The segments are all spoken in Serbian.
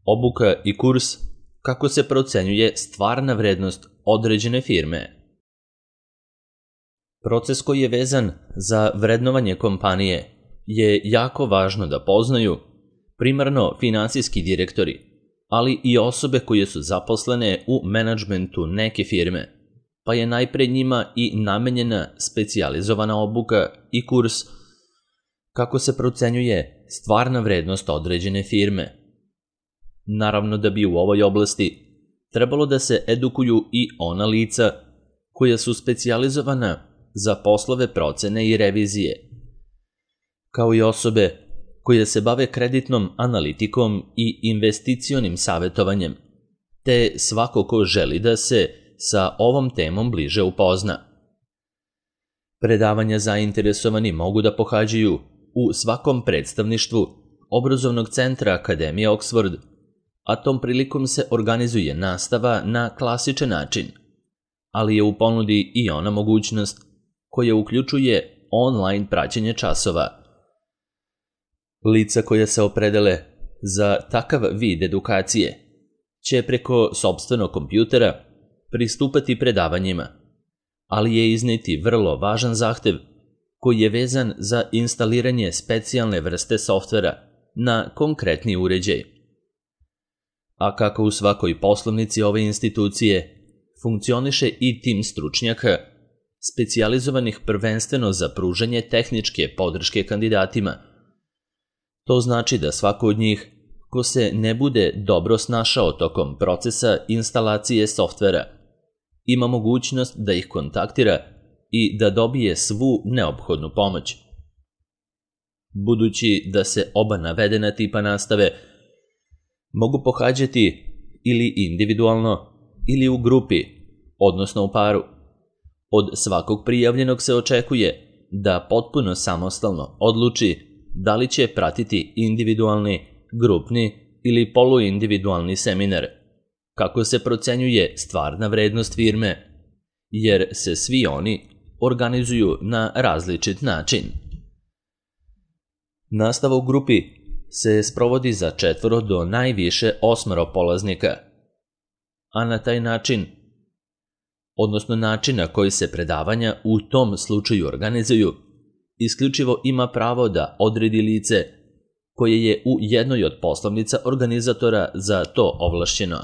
Obuka i kurs kako se procenjuje stvarna vrednost određene firme. Proces koji je vezan za vrednovanje kompanije je jako važno da poznaju primarno finansijski direktori, ali i osobe koje su zaposlene u menadžmentu neke firme, pa je najpre njima i namenjena specijalizovana obuka i kurs kako se procenjuje stvarna vrednost određene firme. Naravno da bi u ovoj oblasti trebalo da se edukuju i ona lica koja su specijalizovana za poslove procene i revizije, kao i osobe koje se bave kreditnom analitikom i investicionim savjetovanjem, te svako ko želi da se sa ovom temom bliže upozna. Predavanja zainteresovani mogu da pohađaju u svakom predstavništvu obrazovnog centra Akademije Oxford, a tom prilikom se organizuje nastava na klasičan način, ali je u ponudi i ona mogućnost koja uključuje online praćenje časova. Lica koja se opredele za takav vid edukacije će preko sopstvenog kompjutera pristupati predavanjima, ali je izneti vrlo važan zahtev koji je vezan za instaliranje specijalne vrste softvera na konkretni uređaj. A kako u svakoj poslovnici ove institucije funkcioniše i tim stručnjaka, specijalizovanih prvenstveno za pružanje tehničke podrške kandidatima, to znači da svako od njih, ko se ne bude dobro snašao tokom procesa instalacije softvera, ima mogućnost da ih kontaktira i da dobije svu neophodnu pomoć. Budući da se oba navedena tipa nastave mogu pohađati ili individualno ili u grupi, odnosno u paru, od svakog prijavljenog se očekuje da potpuno samostalno odluči da li će pratiti individualni, grupni ili poluindividualni seminar, kako se procenjuje stvarna vrednost firme, jer se svi oni organizuju na različit način. Nastava u grupi se sprovodi za 4 do najviše 8 polaznika, a na taj način, odnosno način na koji se predavanja u tom slučaju organizuju, isključivo ima pravo da odredi lice koje je u jednoj od poslovnica organizatora za to ovlašćeno.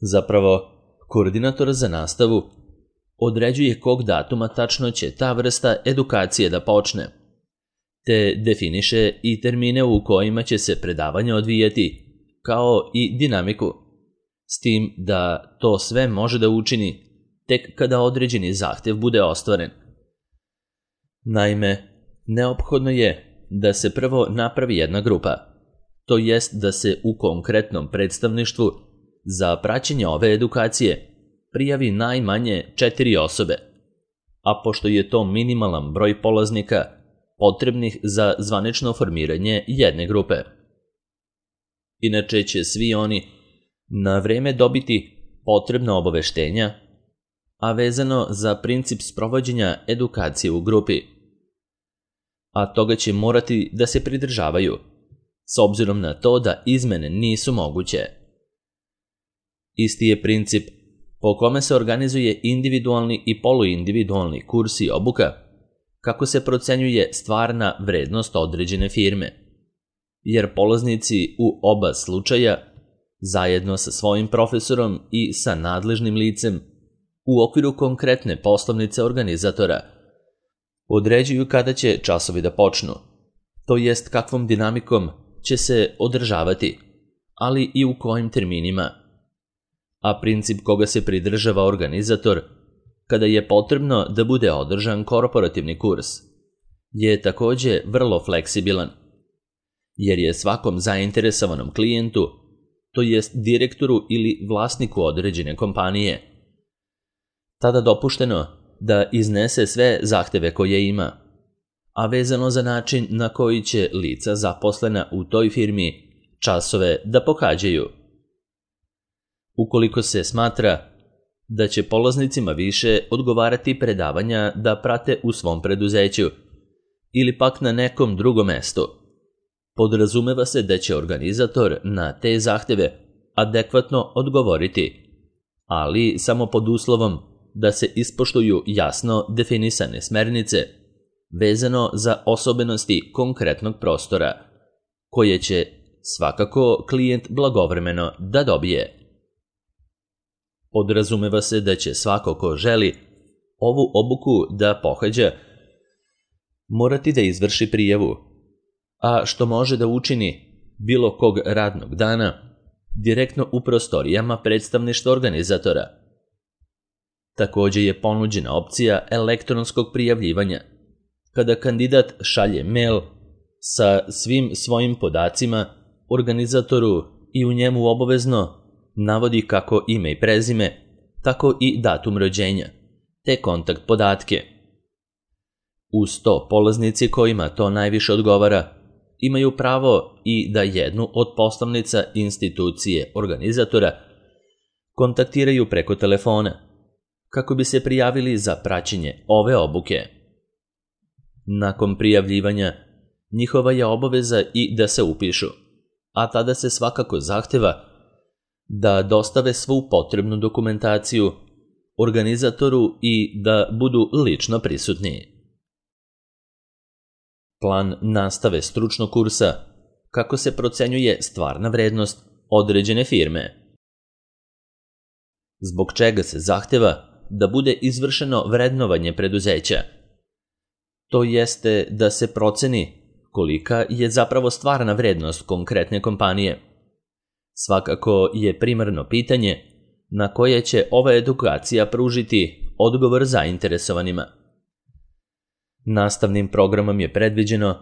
Zapravo, koordinator za nastavu određuje kog datuma tačno će ta vrsta edukacije da počne, te definiše i termine u kojima će se predavanje odvijati, kao i dinamiku, s tim da to sve može da učini tek kada određeni zahtev bude ostvaren. Naime, neophodno je da se prvo napravi jedna grupa, to jest da se u konkretnom predstavništvu za praćenje ove edukacije prijavi najmanje 4 osobe, a pošto je to minimalan broj polaznika potrebnih za zvanično formiranje jedne grupe. Inače će svi oni na vreme dobiti potrebna obaveštenja, a vezano za princip sprovođenja edukacije u grupi, a toga će morati da se pridržavaju, s obzirom na to da izmene nisu moguće. Isti je princip po kome se organizuje individualni i poluindividualni kurs i obuka, kako se procenjuje stvarna vrednost određene firme, jer polaznici u oba slučaja, zajedno sa svojim profesorom i sa nadležnim licem, u okviru konkretne poslovnice organizatora, određuju kada će časovi da počnu, to jest kakvom dinamikom će se održavati, ali i u kojim terminima. A princip koga se pridržava organizator, kada je potrebno da bude održan korporativni kurs, je takođe vrlo fleksibilan, jer je svakom zainteresovanom klijentu, to jest direktoru ili vlasniku određene kompanije, tada dopušteno da iznese sve zahteve koje ima, a vezano za način na koji će lica zaposlena u toj firmi časove da pohađaju. Ukoliko se smatra da će polaznicima više odgovarati predavanja da prate u svom preduzeću ili pak na nekom drugom mestu, Podrazumeva se da će organizator na te zahteve adekvatno odgovoriti, ali samo pod uslovom da se ispoštuju jasno definisane smernice vezano za osobenosti konkretnog prostora, koje će svakako klijent blagovremeno da dobije. Podrazumeva se da će svako ko želi ovu obuku da pohađa morati da izvrši prijavu, a što može da učini bilo kog radnog dana direktno u prostorijama predstavništva organizatora. Također je ponuđena opcija elektronskog prijavljivanja, kada kandidat šalje mail sa svim svojim podacima organizatoru i u njemu obavezno navodi kako ime i prezime, tako i datum rođenja, te kontakt podatke. Uz to polaznici kojima to najviše odgovara imaju pravo i da jednu od poslanica institucije organizatora kontaktiraju preko telefona, kako bi se prijavili za praćenje ove obuke. Nakon prijavljivanja, njihova je obaveza i da se upišu, a tada se svakako zahteva da dostave svu potrebnu dokumentaciju organizatoru i da budu lično prisutni. Plan nastave stručnog kursa, kako se procenjuje stvarna vrednost određene firme. Zbog čega se zahteva da bude izvršeno vrednovanje preduzeća? To jeste da se proceni kolika je zapravo stvarna vrednost konkretne kompanije. Svakako je primarno pitanje na koje će ova edukacija pružiti odgovor zainteresovanima. Nastavnim programom je predviđeno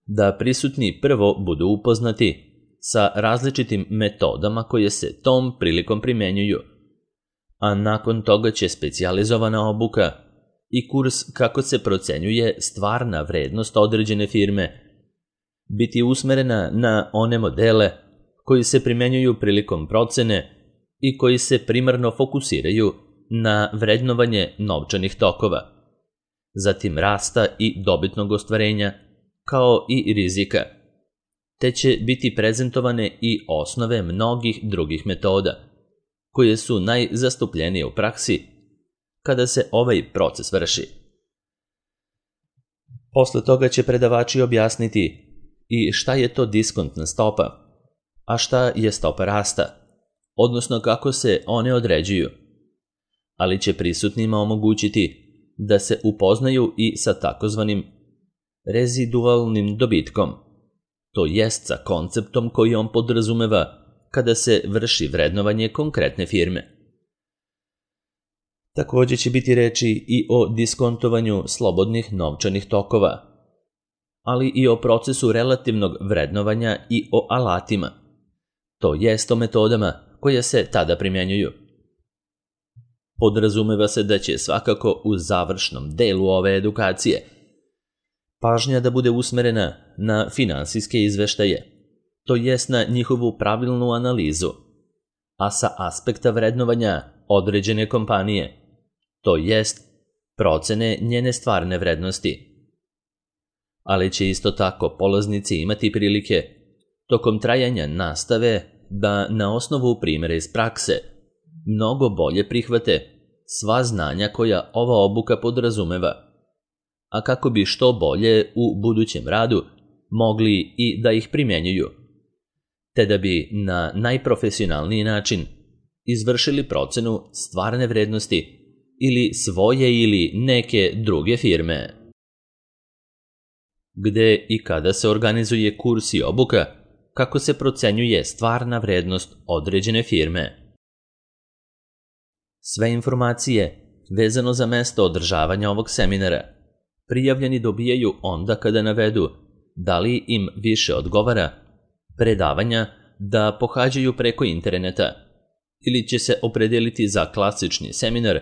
da prisutni prvo budu upoznati sa različitim metodama koje se tom prilikom primenjuju, a nakon toga će specijalizovana obuka i kurs kako se procenjuje stvarna vrednost određene firme biti usmerena na one modele koji se primenjuju prilikom procene i koji se primarno fokusiraju na vrednovanje novčanih tokova, zatim rasta i dobitnog ostvarenja, kao i rizika, te će biti prezentovane i osnove mnogih drugih metoda, koje su najzastupljenije u praksi kada se ovaj proces vrši. Posle toga će predavači objasniti i šta je to diskontna stopa, a šta je stopa rasta, odnosno kako se one određuju, ali će prisutnima omogućiti da se upoznaju i sa takozvanim rezidualnim dobitkom, to jest sa konceptom koji on podrazumeva kada se vrši vrednovanje konkretne firme. Također će biti reči i o diskontovanju slobodnih novčanih tokova, ali i o procesu relativnog vrednovanja i o alatima, to jest o metodama koje se tada primjenjuju. Podrazumeva se da će svakako u završnom delu ove edukacije pažnja da bude usmerena na finansijske izveštaje, to jest na njihovu pravilnu analizu, a sa aspekta vrednovanja određene kompanije, to jest procene njene stvarne vrednosti. Ali će isto tako polaznici imati prilike tokom trajanja nastave da na osnovu primjera iz prakse mnogo bolje prihvate sva znanja koja ova obuka podrazumeva, a kako bi što bolje u budućem radu mogli i da ih primjenjuju, te da bi na najprofesionalniji način izvršili procenu stvarne vrednosti ili svoje ili neke druge firme. Gde i kada se organizuje kurs i obuka, kako se procenjuje stvarna vrednost određene firme. Sve informacije vezano za mesto održavanja ovog seminara prijavljeni dobijaju onda kada navedu da li im više odgovara predavanja da pohađaju preko interneta ili će se opredeliti za klasični seminar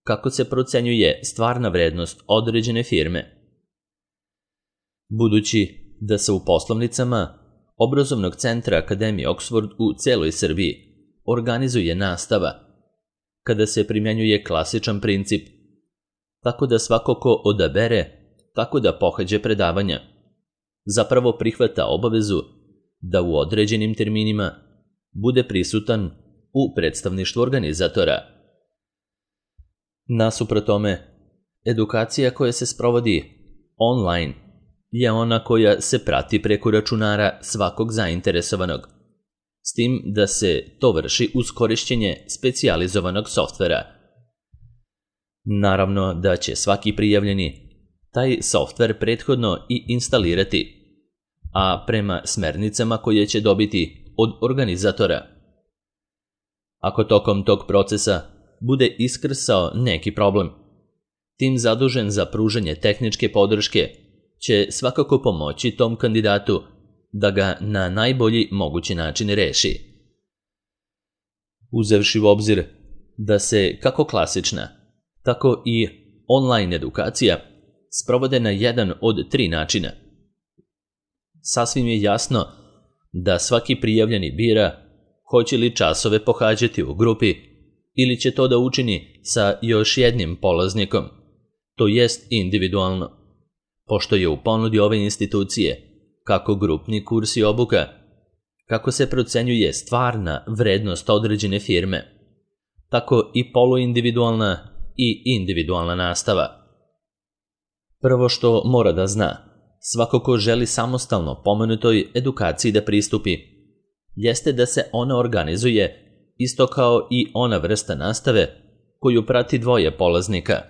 kako se procenjuje stvarna vrednost određene firme. Budući da se u poslovnicama Obrazovnog centra Akademije Oxford u celoj Srbiji organizuje nastava, kada se primjenjuje klasičan princip, tako da svako ko odabere tako da pohađe predavanja, zapravo prihvata obavezu da u određenim terminima bude prisutan u predstavništvu organizatora. Nasuprot tome, edukacija koja se sprovodi online je ona koja se prati preko računara svakog zainteresovanog, s tim da se to vrši uz korišćenje specijalizovanog softvera. Naravno da će svaki prijavljeni taj softver prethodno i instalirati, a prema smernicama koje će dobiti od organizatora. Ako tokom tog procesa bude iskrsao neki problem, tim zadužen za pružanje tehničke podrške će svakako pomoći tom kandidatu da ga na najbolji mogući način reši. Uzevši u obzir da se kako klasična, tako i online edukacija sprovode na jedan od 3 načina, sasvim je jasno da svaki prijavljeni bira hoće li časove pohađati u grupi ili će to da učini sa još jednim polaznikom, to jest individualno, pošto je u ponudi ove institucije kako grupni kurs i obuka, kako se procenjuje stvarna vrednost određene firme, tako i poluindividualna i individualna nastava. Prvo što mora da zna, svako ko želi samostalno pomenutoj edukaciji da pristupi, jeste da se ona organizuje isto kao i ona vrsta nastave koju prati 2 polaznika,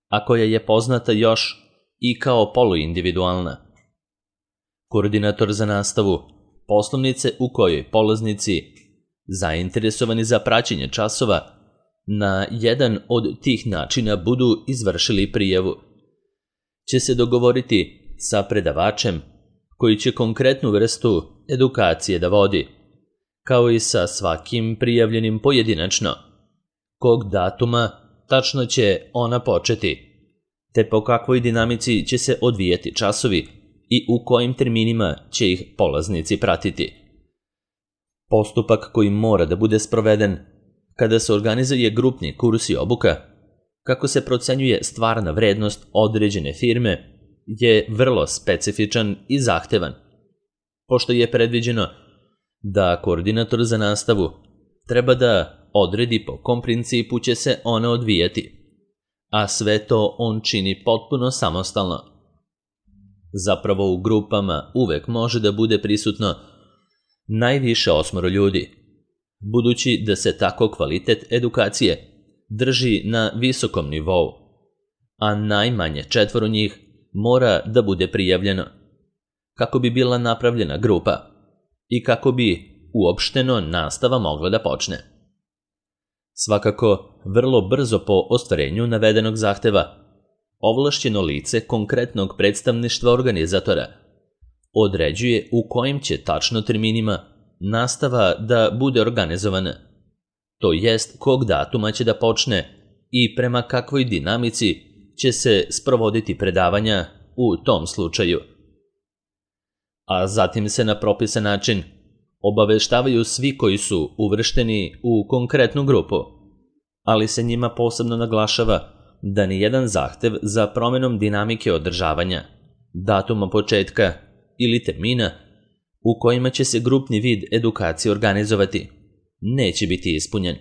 a koja je poznata još i kao poluindividualna. Koordinator za nastavu poslovnice u kojoj polaznici, zainteresovani za praćenje časova, na jedan od tih načina budu izvršili prijavu, će se dogovoriti sa predavačem koji će konkretnu vrstu edukacije da vodi, kao i sa svakim prijavljenim pojedinačno, kog datuma tačno će ona početi, te po kakvoj dinamici će se odvijati časovi i u kojim terminima će ih polaznici pratiti. Postupak koji mora da bude sproveden kada se organizuje grupni kurs i obuka, kako se procenjuje stvarna vrednost određene firme, je vrlo specifičan i zahtevan, pošto je predviđeno da koordinator za nastavu treba da odredi po kom principu će se ona odvijati, a sve to on čini potpuno samostalno. Zapravo u grupama uvek može da bude prisutno najviše 8 ljudi, budući da se tako kvalitet edukacije drži na visokom nivou, a najmanje 4 njih mora da bude prijavljeno, kako bi bila napravljena grupa i kako bi uopšteno nastava mogla da počne. Svakako, vrlo brzo po ostvarenju navedenog zahteva, ovlašćeno lice konkretnog predstavništva organizatora određuje u kojim će tačno terminima nastava da bude organizovana, to jest kog datuma će da počne i prema kakvoj dinamici će se sprovoditi predavanja u tom slučaju. A zatim se na propisan način obaveštavaju svi koji su uvršteni u konkretnu grupu, ali se njima posebno naglašava da nijedan zahtev za promenom dinamike održavanja, datuma početka ili termina u kojima će se grupni vid edukacije organizovati neće biti ispunjen.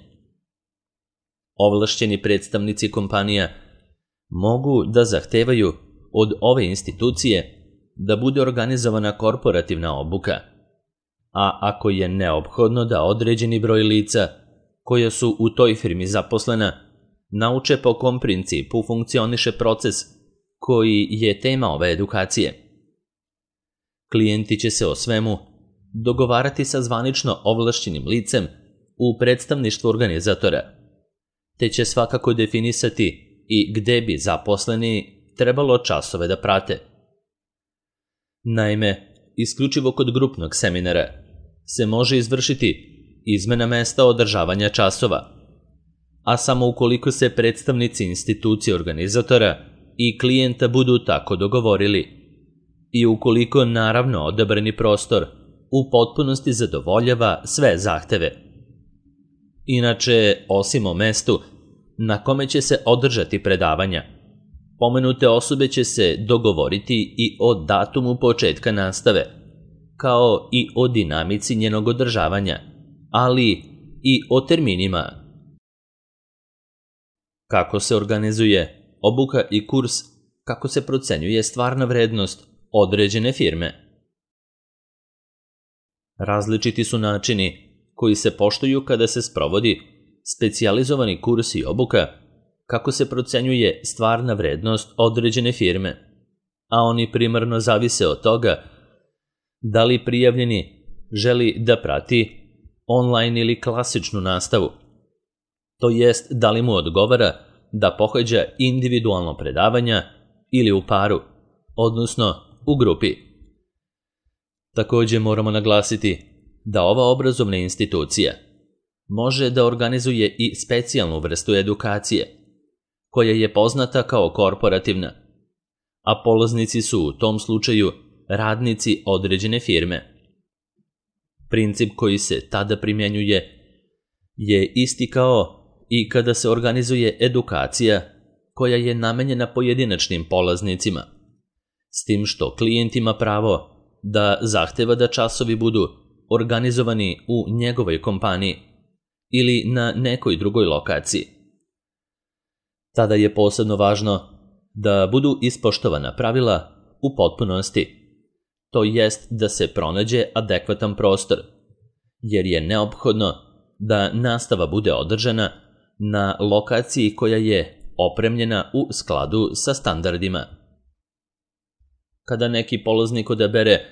Ovlašćeni predstavnici kompanija mogu da zahtevaju od ove institucije da bude organizovana korporativna obuka, a ako je neophodno da određeni broj lica koja su u toj firmi zaposlena nauče po kom principu funkcioniše proces koji je tema ove edukacije. Klijenti će se o svemu dogovarati sa zvanično ovlašćenim licem u predstavništvu organizatora, te će svakako definisati i gde bi zaposleni trebalo časove da prate. Naime, isključivo kod grupnog seminara se može izvršiti izmena mesta održavanja časova, a samo ukoliko se predstavnici institucije organizatora i klijenta budu tako dogovorili i ukoliko naravno odabrani prostor u potpunosti zadovoljava sve zahteve. Inače, osim o mestu na kome će se održati predavanja, pomenute osobe će se dogovoriti i o datumu početka nastave, kao i o dinamici njenog održavanja, ali i o terminima. Kako se organizuje obuka i kurs, kako se procenjuje stvarna vrednost određene firme. Različiti su načini koji se poštuju kada se sprovodi specijalizovani kurs i obuka, kako se procenjuje stvarna vrednost određene firme, a oni primarno zavise od toga da li prijavljeni želi da prati online ili klasičnu nastavu, to jest da li mu odgovara da pohađa individualno predavanja ili u paru, odnosno u grupi. Također moramo naglasiti da ova obrazovna institucija može da organizuje i specijalnu vrstu edukacije, koja je poznata kao korporativna, a polaznici su u tom slučaju radnici određene firme. Princip koji se tada primjenjuje je isti kao i kada se organizuje edukacija koja je namenjena pojedinačnim polaznicima, s tim što klijent ima pravo da zahteva da časovi budu organizovani u njegovoj kompaniji ili na nekoj drugoj lokaciji. Tada je posebno važno da budu ispoštovana pravila u potpunosti, to jest da se pronađe adekvatan prostor, jer je neophodno da nastava bude održana na lokaciji koja je opremljena u skladu sa standardima. Kada neki polaznik odabere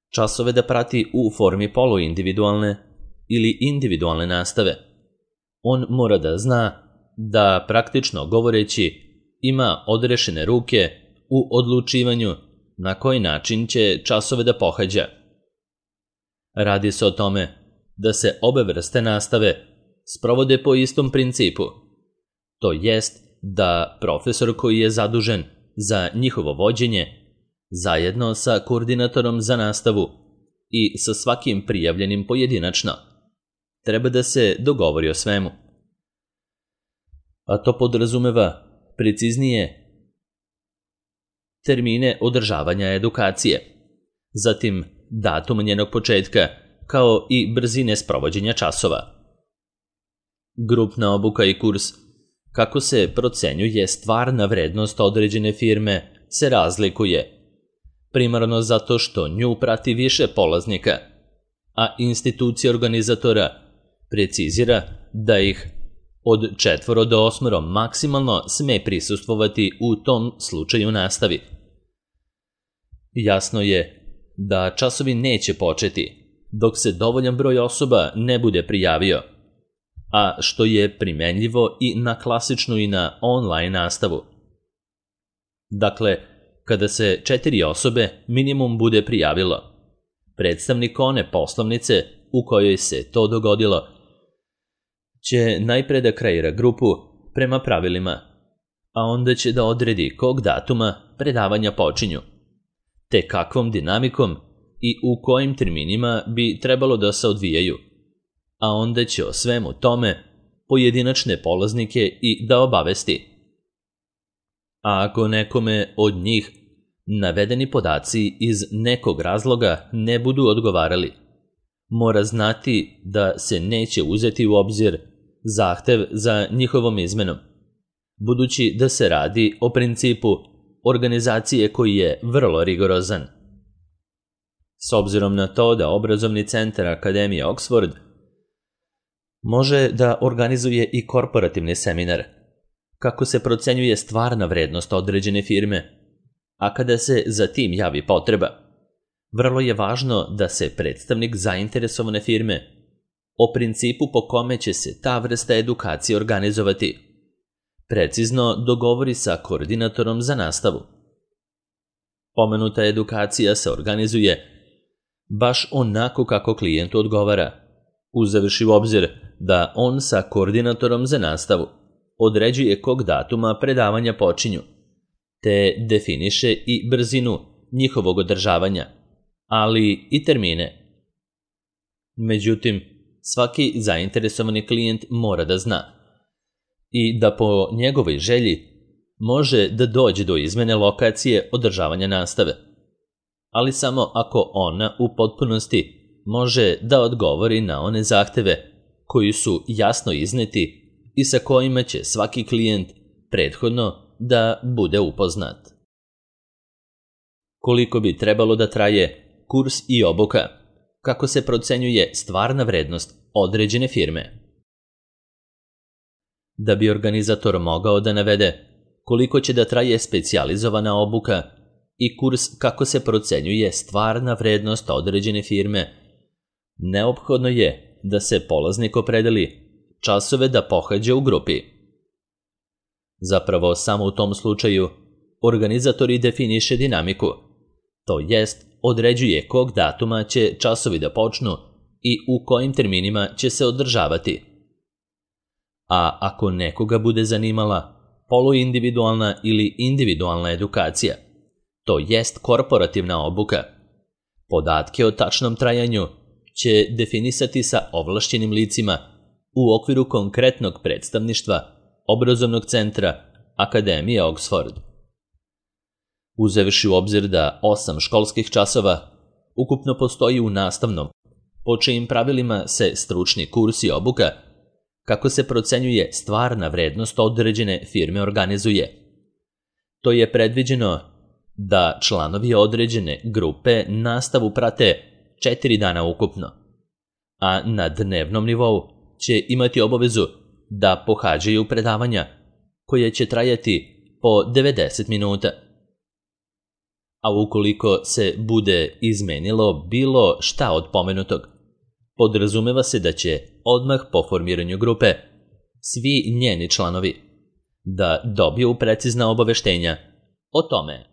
časove da prati u formi poluindividualne ili individualne nastave, on mora da zna da, praktično govoreći, ima odrešene ruke u odlučivanju na koji način će časove da pohađa. Radi se o tome da se obe vrste nastave sprovode po istom principu, to jest da profesor koji je zadužen za njihovo vođenje, zajedno sa koordinatorom za nastavu i sa svakim prijavljenim pojedinačno, treba da se dogovori o svemu. A to podrazumeva preciznije termine održavanja edukacije, zatim datum njenog početka, kao i brzine sprovođenja časova. Grupna obuka i kurs, kako se procenjuje stvarna vrednost određene firme, se razlikuje, primarno zato što nju prati više polaznika, a institucija organizatora precizira da ih od 4 do 8 maksimalno sme prisustvovati u tom slučaju nastavi. Jasno je da časovi neće početi dok se dovoljan broj osoba ne bude prijavio, a što je primenljivo i na klasičnu i na online nastavu. Dakle, kada se 4 osobe minimum bude prijavilo, predstavnik one poslovnice u kojoj se to dogodilo će najpre da kreira grupu prema pravilima, a onda će da odredi kog datuma predavanja počinju, te kakvom dinamikom i u kojim terminima bi trebalo da se odvijaju, a onda će o svemu tome pojedinačne polaznike i da obavesti. A ako nekome od njih navedeni podaci iz nekog razloga ne budu odgovarali, mora znati da se neće uzeti u obzir zahtev za njihovom izmenom, budući da se radi o principu organizacije koji je vrlo rigorozan. S obzirom na to da obrazovni centar Akademije Oxford može da organizuje i korporativni seminar, kako se procenjuje stvarna vrednost određene firme, a kada se za tim javi potreba, vrlo je važno da se predstavnik zainteresovane firme o principu po kome će se ta vrsta edukacije organizovati precizno dogovori sa koordinatorom za nastavu. Pomenuta edukacija se organizuje baš onako kako klijentu odgovara, uzevši u obzir da on sa koordinatorom za nastavu određuje kog datuma predavanja počinju, te definiše i brzinu njihovog održavanja, ali i termine. Međutim, svaki zainteresovani klijent mora da zna i da po njegovoj želji može da dođe do izmene lokacije održavanja nastave. ali samo ako ona u potpunosti može da odgovori na one zahteve koji su jasno izneti i sa kojima će svaki klijent prethodno da bude upoznat. Koliko bi trebalo da traje kurs i obuka? Kako se procenjuje stvarna vrednost određene firme? Da bi organizator mogao da navede koliko će da traje specijalizovana obuka i kurs kako se procenjuje stvarna vrednost određene firme, neophodno je da se polaznik opredeli časove da pohađa u grupi. Zapravo, samo u tom slučaju organizator i definiše dinamiku, to jest određuje kog datuma će časovi da počnu i u kojim terminima će se održavati. A ako nekoga bude zanimala poluindividualna ili individualna edukacija, to jest korporativna obuka, podatke o tačnom trajanju će definisati sa ovlašćenim licima u okviru konkretnog predstavništva obrazovnog centra Akademije Oxford. Uzevši u obzir da 8 školskih časova ukupno postoji u nastavnom, po čijim pravilima se stručni kurs i obuka, kako se procenjuje stvarna vrednost određene firme organizuje. To je predviđeno da članovi određene grupe nastavu prate 4 dana ukupno, a na dnevnom nivou će imati obavezu da pohađaju predavanja koje će trajati po 90 minuta. A ukoliko se bude izmenilo bilo šta od pomenutog, podrazumeva se da će odmah po formiranju grupe svi njeni članovi da dobiju precizna obaveštenja o tome